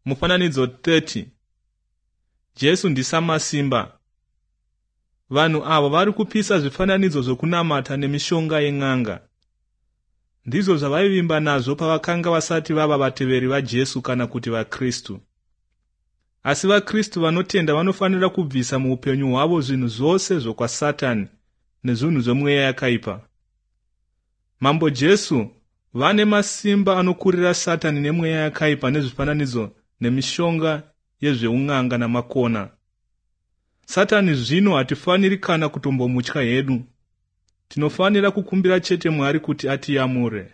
Mufananidzo 30. Jesu ndisamasimba. Vanhu ava vari kupisa zvifananidzo zvokunamata nemishonga yen'anga. Ndizvo zvavaivimba nazvo pavakanga vasati vava vateveri vaJesu kana kuti vaKristu. Asi vaKristu vanotenda vanofanira kubvisa muupenyu hwavo zvinhu zvose zvokwaSatani nezvinhu zvemweya yakaipa. Mambo Jesu vane masimba anokurira Satani nemweya yakaipa nezvifananidzo nemishonga yezveun'anga namakona. Satani zvino hatifaniri kana kutombomutya hedu. Tinofanira kukumbira chete Mwari kuti atiyamure.